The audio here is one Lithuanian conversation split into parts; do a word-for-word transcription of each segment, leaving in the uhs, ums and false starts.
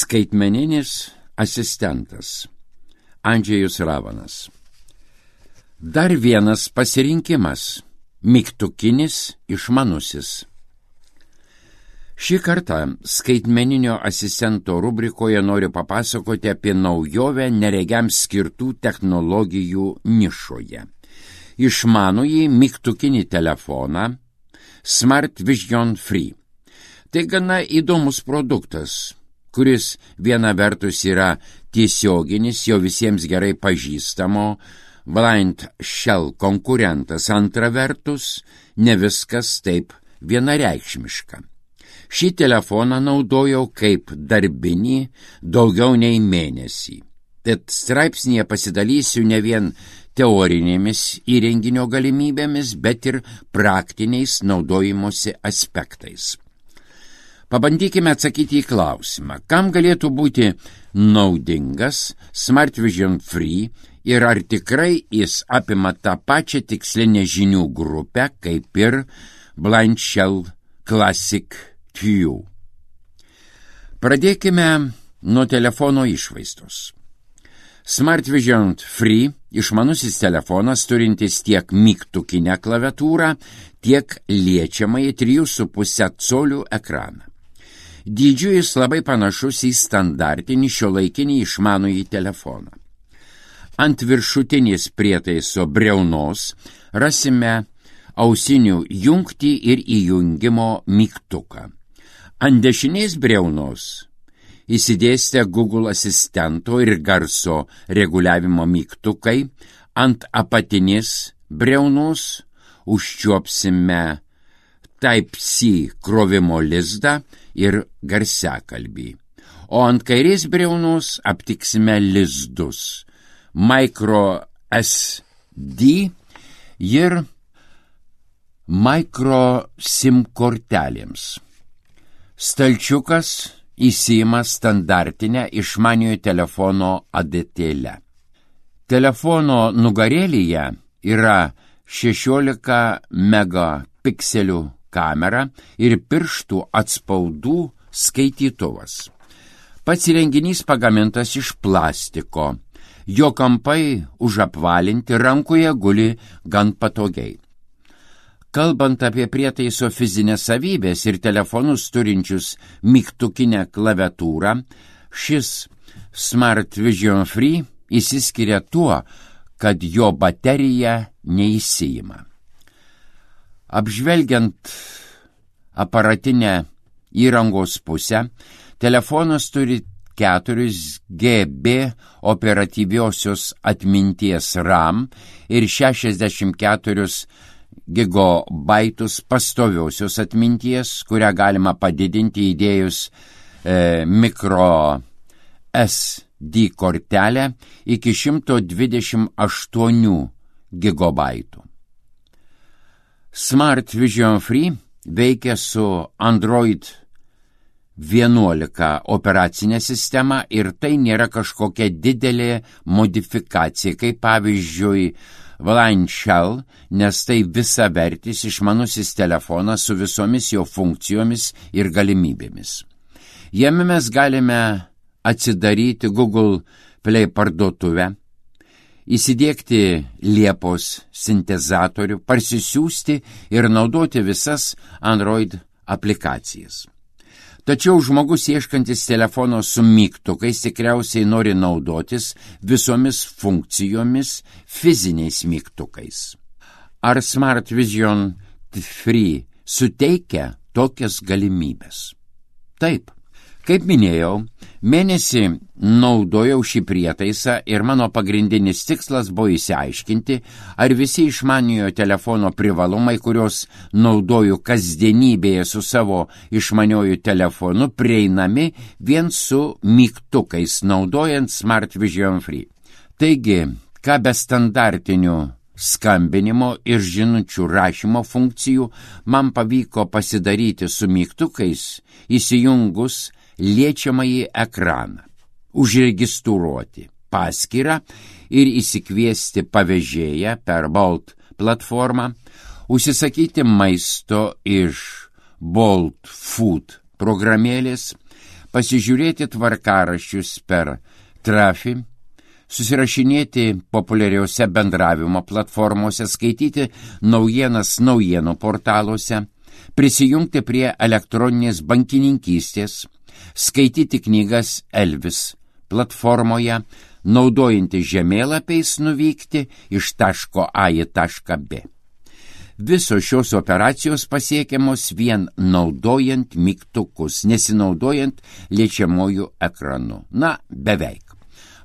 Skaitmeninis asistentas. Andžejus Ravanas. Dar vienas pasirinkimas – mygtukinis išmanusis. Šį kartą skaitmeninio asistento rubrikoje noriu papasakoti apie naujovę neregiams skirtų technologijų nišoje. Išmanųjį mygtukinį telefoną Smart Vision Free. Tai gana įdomus produktas, kuris viena vertus yra tiesioginis, jau visiems gerai pažįstamo Blind Shell konkurentas, antra vertus ne viskas taip vienareikšmiška. Šį telefoną naudojau kaip darbinį daugiau nei mėnesį. Tad straipsnėje pasidalysiu ne vien teorinėmis įrenginio galimybėmis, bet ir praktiniais naudojimosi aspektais. Pabandykime atsakyti į klausimą, kam galėtų būti naudingas Smart Vision Free ir ar tikrai jis apima tą pačią tikslinę žinių grupę kaip ir Blind Shell Classic Q. Pradėkime nuo telefono išvaizdos. Smart Vision Free išmanusis telefonas turintis tiek mygtukinę klaviatūrą, tiek liečiamąjį trijų su puse colių ekraną. Dydžiu jis labai panašus į standartinį šiuolaikinį išmanųjį telefoną. Ant viršutinės prietaiso briaunos rasime ausinių jungtį ir įjungimo mygtuką. Ant dešinės briaunos įsidėstę Google asistento ir garso reguliavimo mygtukai, ant apatinės briaunos užčiuopsime Type-C krovimo lizdą ir garsiakalbį, o ant kairės briaunos aptiksime lizdus, micro S D ir micro SIM kortelėms. Stalčiukas įsiima standartinę išmaniojo telefono adatėlę. Telefono nugarėlyje yra šešiolika megapikselių kamera ir pirštų atspaudų skaitytuvas. Pats įrenginys pagamintas iš plastiko, jo kampai užapvalinti, rankoje guli gan patogiai. Kalbant apie prietaiso fizinės savybės ir telefonus turinčius mygtukinę klaviatūrą, šis Smart Vision Free išsiskiria tuo, kad jo baterija neįsiima. Apžvelgiant aparatinę įrangos pusę, telefonas turi keturi giga operatyviosios atminties RAM ir šešiasdešimt keturi gigabaitus pastoviosios atminties, kurią galima padidinti įdėjus e, micro S D kortelę iki šimto dvidešimt aštuonių gigabaitų. Smart Vision Free veikia su Android vienuolika operacinė sistema ir tai nėra kažkokia didelė modifikacija, kaip pavyzdžiui Blind Shell, nes tai visavertis išmanusis telefonas su visomis jo funkcijomis ir galimybėmis. Jame mes galime atsidaryti Google Play parduotuvę, įsidiegti Liepos sintezatorių, parsisiųsti ir naudoti visas Android aplikacijas. Tačiau žmogus ieškantis telefono su mygtukais tikriausiai nori naudotis visomis funkcijomis fiziniais mygtukais. Ar Smart Vision Free suteikia tokias galimybės? Taip. Kaip minėjau, mėnesį naudojau šį prietaisą ir mano pagrindinis tikslas buvo išsiaiškinti, ar visi išmaniojo telefono privalumai, kuriuos naudoju kasdienybėje su savo išmanioju telefonu, prieinami vien su mygtukais, naudojant Smart Vision Free. Taigi, ką be standartinių skambinimo ir žinučių rašymo funkcijų man pavyko pasidaryti su mygtukais, įsijungus liečiamąjį ekraną, užregistruoti paskyrą ir įsikviesti pavežėją per Bolt platformą, užsisakyti maisto iš Bolt Food programėlės, pasižiūrėti tvarkaraščius per Trafi, susirašinėti populiariausiose bendravimo platformose, skaityti naujienas naujienų portaluose, prisijungti prie elektroninės bankininkystės, skaityti knygas Elvis platformoje, naudojantį žemėlapiais nuvykti iš taško A į tašką B. Visos šios operacijos pasiekiamos vien naudojant mygtukus, nesinaudojant liečiamojų ekranu. Na, beveik.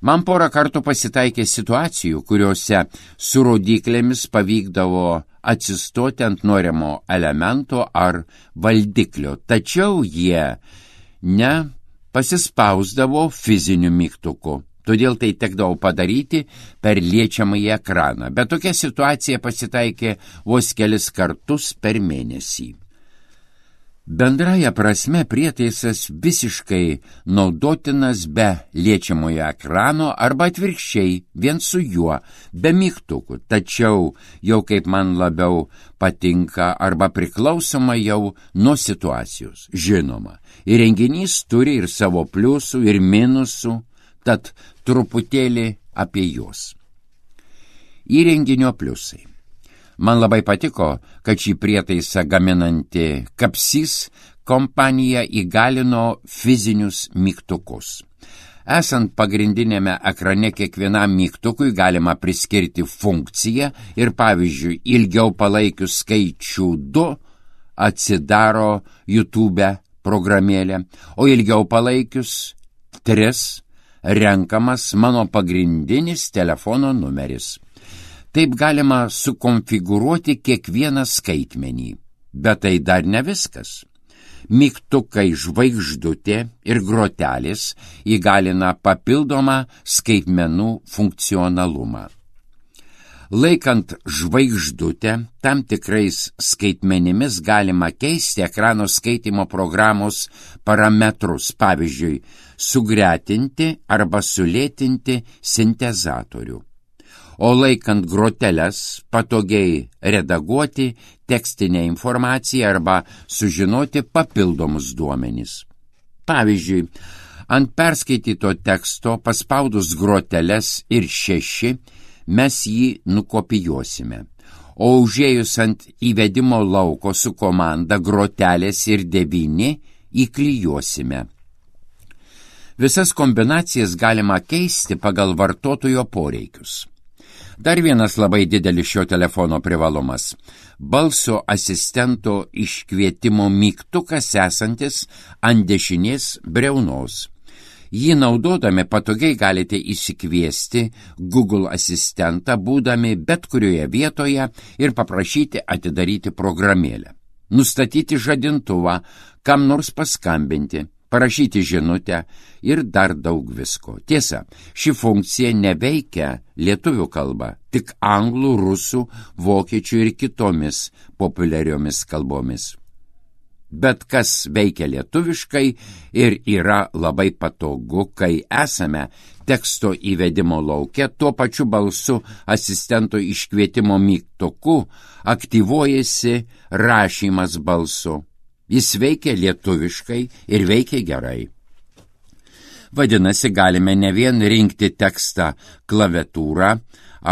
Man porą kartų pasitaikė situacijų, kuriuose su rodyklėmis pavykdavo atsistoti ant norimo elemento ar valdiklio, tačiau jie ne pasispausdavo fiziniu mygtuku. Todėl tai tekdavo padaryti per liečiamąjį ekraną, bet tokia situacija pasitaikė vos kelis kartus per mėnesį. Bendraja prasme prietaisas visiškai naudotinas be liečiamojo ekrano arba atvirkščiai vien su juo, be mygtukų, tačiau jau kaip man labiau patinka arba priklausoma jau nuo situacijos. Žinoma, įrenginys turi ir savo pliusų ir minusų, tad truputėlį apie juos. Įrenginio pliusai. Man labai patiko, kad šį prietaisą gaminanti Capsys kompanija įgalino fizinius mygtukus. Esant pagrindinėme ekrane kiekvienam mygtukui galima priskirti funkciją ir pavyzdžiui ilgiau palaikius skaičių du atsidaro YouTube programėlė, o ilgiau palaikius tris renkamas mano pagrindinis telefono numeris. Taip galima sukonfigūruoti kiekvieną skaitmenį, bet tai dar ne viskas. Mygtukai žvaigždutė ir grotelės įgalina papildomą skaitmenų funkcionalumą. Laikant žvaigždutę, tam tikrais skaitmenimis galima keisti ekrano skaitimo programos parametrus, pavyzdžiui, sugretinti arba sulėtinti sintezatorių. O laikant groteles patogiai redaguoti tekstinę informaciją arba sužinoti papildomus duomenis. Pavyzdžiui, ant perskaityto teksto paspaudus groteles ir šeši mes jį nukopijuosime, o užėjus ant įvedimo lauko su komanda grotelės ir devyni įklijuosime. Visas kombinacijas galima keisti pagal vartotojo poreikius. Dar vienas labai didelis šio telefono privalumas – balso asistento iškvietimo mygtukas esantis ant dešinės briaunos. Jį naudodami patogiai galite įsikviesti Google asistentą, būdami bet kurioje vietoje ir paprašyti atidaryti programėlę, nustatyti žadintuvą, kam nors paskambinti, parašyti žinutę ir dar daug visko. Tiesa, ši funkcija neveikia lietuvių kalba, tik anglų, rusų, vokiečių ir kitomis populiariomis kalbomis. Bet kas veikia lietuviškai ir yra labai patogu, kai esame teksto įvedimo lauke, tuo pačiu balsu asistento iškvietimo mygtuku aktyvuojasi rašymas balsu. Jis veikia lietuviškai ir veikia gerai. Vadinasi, galime ne vien rinkti tekstą klaviatūrą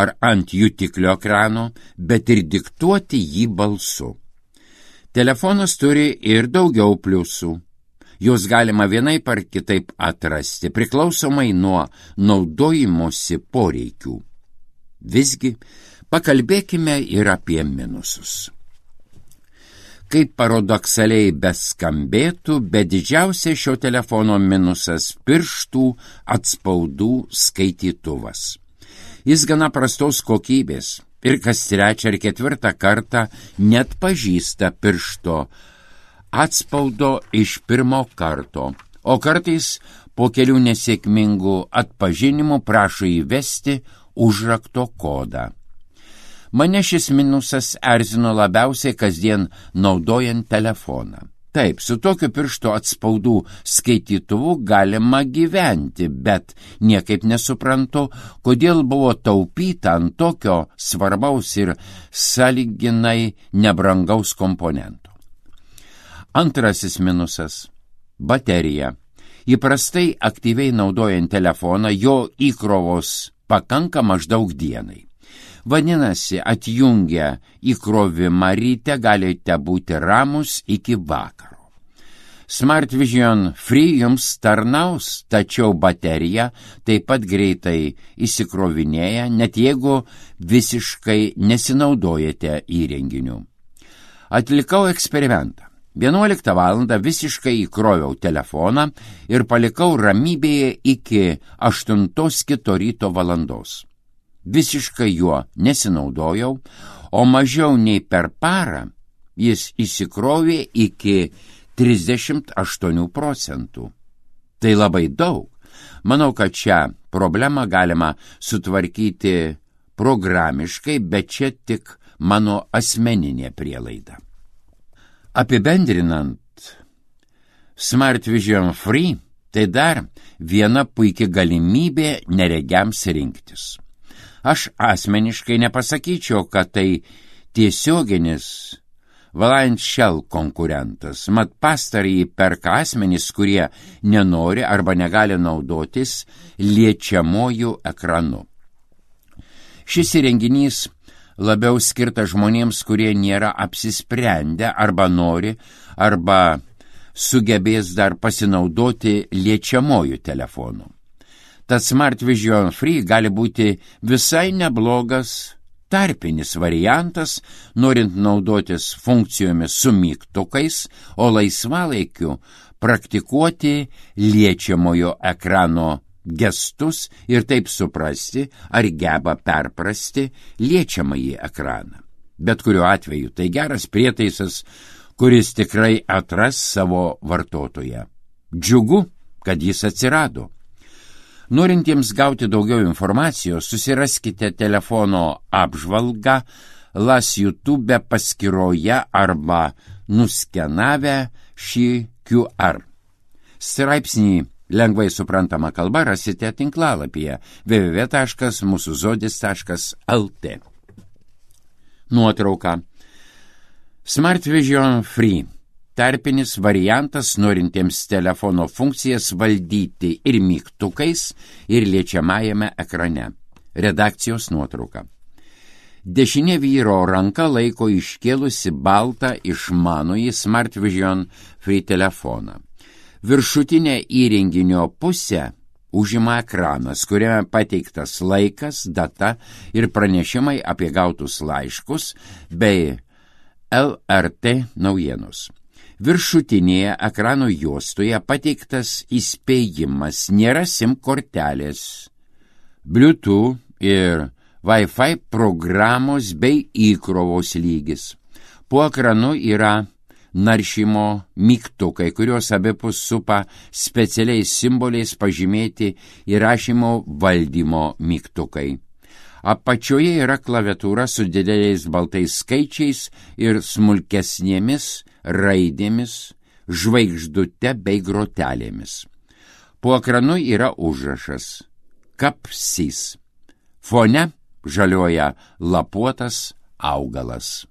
ar ant jutiklio ekrano, bet ir diktuoti jį balsu. Telefonas turi ir daugiau pliusų. Juos galima vienaip ar kitaip atrasti, priklausomai nuo naudojimosi poreikių. Visgi, pakalbėkime ir apie minusus. Kaip paradoksaliai beskambėtų, bet didžiausia šio telefono minusas – pirštų atspaudų skaitytuvas. Jis gana prastos kokybės ir kas trečią ar ketvirtą kartą net pažįsta piršto atspaudo iš pirmo karto, o kartais po kelių nesėkmingų atpažinimų prašo įvesti užrakto kodą. Mane šis minusas erzino labiausiai kasdien naudojant telefoną. Taip, su tokiu piršto atspaudų skaitytuvu galima gyventi, bet niekaip nesuprantu, kodėl buvo taupyta ant tokio svarbaus ir sąlyginai nebrangaus komponento. Antrasis minusas – baterija. Įprastai aktyviai naudojant telefoną jo įkrovos pakanka maždaug dienai. Vadinasi, atjungę įkrovimą ryte galite būti ramus iki vakaro. Smart Vision Free jums tarnaus, tačiau baterija taip pat greitai įsikrovinėja, net jeigu visiškai nesinaudojate įrenginiu. Atlikau eksperimentą. vienuoliktą valandą visiškai įkroviau telefoną ir palikau ramybėje iki aštuntos kito ryto valandos. Visiškai juo nesinaudojau, o mažiau nei per parą jis įsikrovė iki trisdešimt aštuonių procentų. Tai labai daug. Manau, kad šią problemą galima sutvarkyti programiškai, bet čia tik mano asmeninė prielaida. Apibendrinant, Smart Vision Free tai dar viena puikia galimybė neregiams rinktis. Aš asmeniškai nepasakyčiau, kad tai tiesioginis Valiant Shell konkurentas, mat pastarąjį perka asmenys, kurie nenori arba negali naudotis liečiamojų ekranu. Šis įrenginys labiau skirtas žmonėms, kurie nėra apsisprendę arba nori, arba sugebės dar pasinaudoti liečiamojų telefonu. Tad Smart Vision Free gali būti visai neblogas tarpinis variantas, norint naudotis funkcijomis su mygtukais, o laisvalaikiu praktikuoti liečiamojo ekrano gestus ir taip suprasti, ar geba perprasti liečiamąjį ekraną. Bet kuriuo atveju tai geras prietaisas, kuris tikrai atras savo vartotoją. Džiugu, kad jis atsirado. Norintiems gauti daugiau informacijos, susiraskite telefono apžvalgą Las YouTube paskyroje arba nuskenavę šį Q R. Straipsnį lengvai suprantama kalba rasite tinklalapyje w w w taškas mūsų žodis taškas l t. Nuotrauka. Smart Vision Free. Tarpinis variantas norintiems telefono funkcijas valdyti ir mygtukais, ir liečiamajame ekrane. Redakcijos nuotrauka. Dešinė vyro ranka laiko iškėlusi baltą išmanųjį Smart Vision Free telefoną. Viršutinė įrenginio pusė užima ekranas, kuriame pateiktas laikas, data ir pranešimai apie gautus laiškus bei L R T naujienos. Viršutinėje ekrano juostoje pateiktas įspėjimas, nėra SIM kortelės, Bluetooth ir Wi-Fi programos bei įkrovos lygis. Po ekranu yra naršymo mygtukai, kurios abipus supa specialiais simboliais pažymėti įrašymo valdymo mygtukai. Apačioje yra klaviatūra su dideliais baltais skaičiais ir smulkesnėmis raidėmis, žvaigždute bei grotelėmis. Po ekranu yra užrašas Kapsys. Fone žalioja lapuotas augalas.